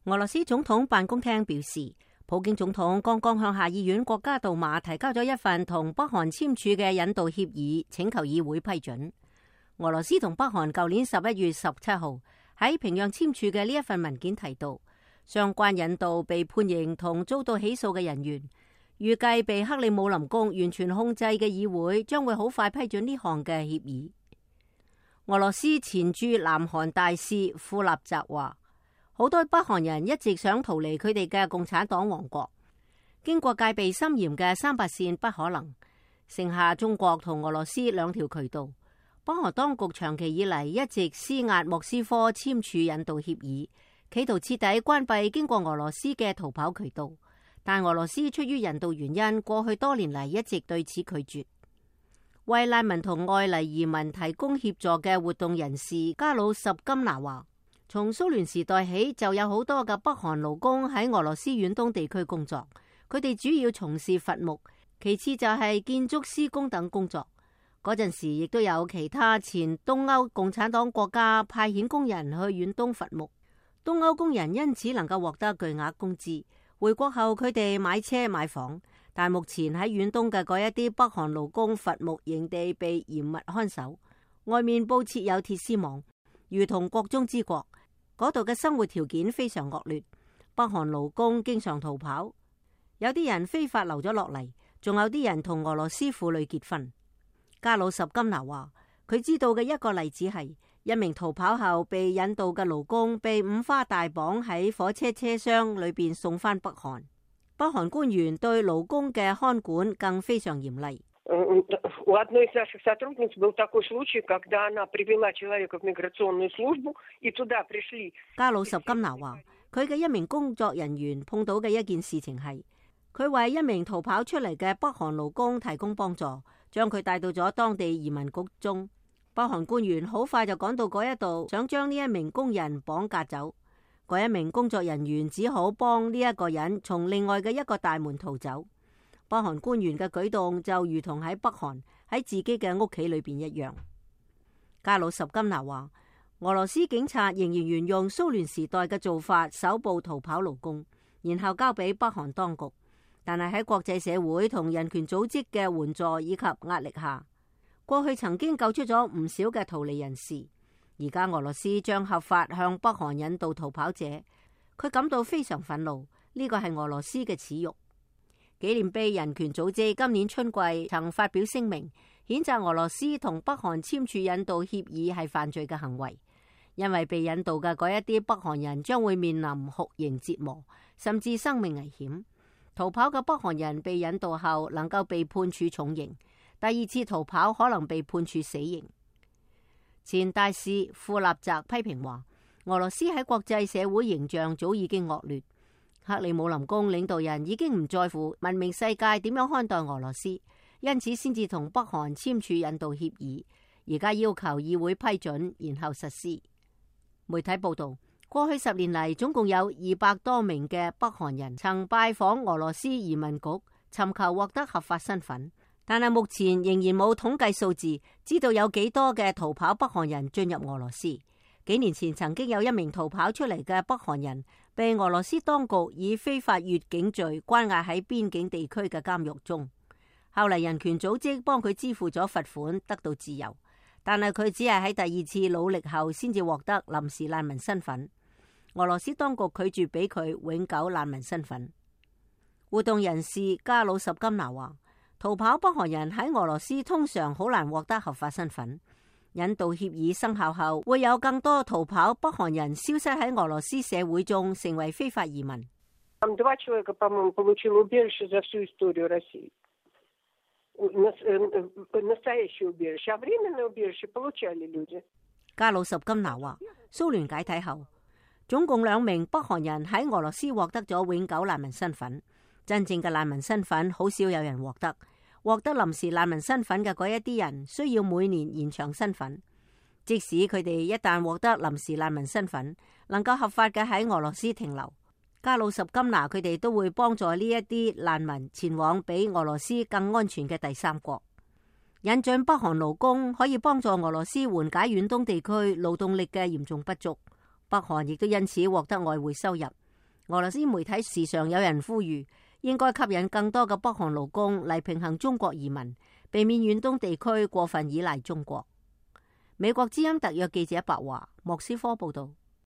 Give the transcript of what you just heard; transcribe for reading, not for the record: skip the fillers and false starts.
俄羅斯總統辦公廳表示，普京總統剛剛向下議院國家杜馬提交咗一份同北韓簽署嘅引渡協議，請求議會批准。俄羅斯同北韓舊年11月17號喺平壤簽署嘅呢一份文件提到，相關引渡被判刑同遭到起訴嘅人員，預計被克里姆林宮完全控制嘅議會將會好快批准呢項嘅協議。俄羅斯前駐南韓大使庫納澤話，好多北韓人一直想逃離佢哋嘅共產黨王國，經過戒備森嚴嘅300線不可能，剩下中國同俄羅斯兩條渠道。北韓當局長期以嚟一直施壓莫斯科簽署引渡協議，企圖徹底關閉經過俄羅斯嘅逃跑渠道，但俄羅斯出於人道原因，過去多年嚟一直對此拒絕。為難民同外嚟移民提供協助嘅活動人士加魯什金娜話，從蘇聯時代起就有好多嘅北韓勞工喺俄羅斯遠東地區工作，佢哋主要從事伐木，其次就係建築施工等工作。嗰陣時亦都有其他前東歐共產黨國家派遣工人去遠東伐木，東歐工人因此能夠獲得巨額工資。回國後佢哋買車買房，但目前喺遠東嘅嗰一啲北韓勞工伐木營地被嚴密看守，外面布設有鐵絲網，如同國中之國。嗰度嘅生活條件非常惡劣，北韓勞工經常逃跑，有啲人非法留咗落嚟，仲有啲人同俄羅斯婦女結婚。加魯什金娜話，佢知道嘅一個例子係一名逃跑後被引渡嘅勞工被五花大綁喺火車車廂裏邊送返北韓。北韓官員對勞工嘅看管更非常嚴厲。加魯什金娜話，佢嘅一名工作人員碰到嘅一件事情係，佢為一名逃跑出嚟嘅北韓勞工提供幫助，將佢帶到咗當地移民局中。北韓官員好快就趕到嗰一度，想將呢一名工人綁架走。嗰一名工作人員只好幫呢一個人從另外嘅一個大門逃走。北韓官員嘅舉動就如同喺北韓喺自己嘅屋企裏邊一樣。加魯什金娜話，俄羅斯警察仍然沿用蘇聯時代嘅做法，搜捕逃跑勞工，然後交俾北韓當局。但係喺國際社會同人權組織嘅援助以及壓力下，過去曾經救出咗唔少嘅逃離人士。而家俄羅斯將合法向北韓引渡逃跑者，佢感到非常憤怒。呢個係俄羅斯嘅恥辱。紀念碑人權組織今年春季曾發表聲明，譴責俄羅斯同北韓簽署引渡協議係犯罪嘅行為，因為被引渡嘅嗰一啲北韓人將會面臨酷刑折磨，甚至生命危險。逃跑嘅北韓人被引渡後能夠被判處重刑，第二次逃跑可能被判處死刑。前大使庫納澤批評話，俄羅斯喺國際社會形象早已經惡劣。克里姆林宮領導人已經唔在乎文明世界點樣看待俄羅斯，因此先至同北韓簽署引渡協議，而家要求議會批准，然後實施。媒體報道，過去10年嚟，總共有200多名嘅北韓人曾拜訪俄羅斯移民局，尋求獲得合法身份，但係目前仍然冇統計數字，知道有幾多嘅逃跑北韓人進入俄羅斯。幾年前曾經有一名逃跑出嚟嘅北韓人，被俄羅斯當局以非法越境罪關押喺邊境地區嘅監獄中。後嚟人權組織幫佢支付咗罰款，得到自由，但係佢只係喺第二次努力後先至獲得臨時難民身份。俄羅斯當局拒絕俾佢永久難民身份。活動人士加魯什金娜話，逃跑北韓人喺俄羅斯通常好難獲得合法身份。引渡協議生效後，會有更多逃跑北韓人消失喺俄羅斯社會中，成為非法移民。加魯什金娜話，蘇聯解體後，總共2名北韓人喺俄羅斯獲得咗永久難民身份。真正嘅難民身份好少有人獲得。獲得臨時難民身份嘅嗰一啲人需要每年延長身份，即使佢哋一旦獲得臨時難民身份，能夠合法嘅喺俄羅斯停留，加魯什金娜佢哋都會幫助呢一啲難民前往比俄羅斯更安全嘅第三國。引進北韓勞工可以幫助俄羅斯緩解遠東地區勞動力嘅嚴重不足，北韓亦都因此獲得外匯收入。俄羅斯媒體時常有人呼籲，應該吸引更多嘅北韓勞工嚟平衡中國移民，避免遠東地區過分依賴中國。美國之音特約記者白華，莫斯科報道。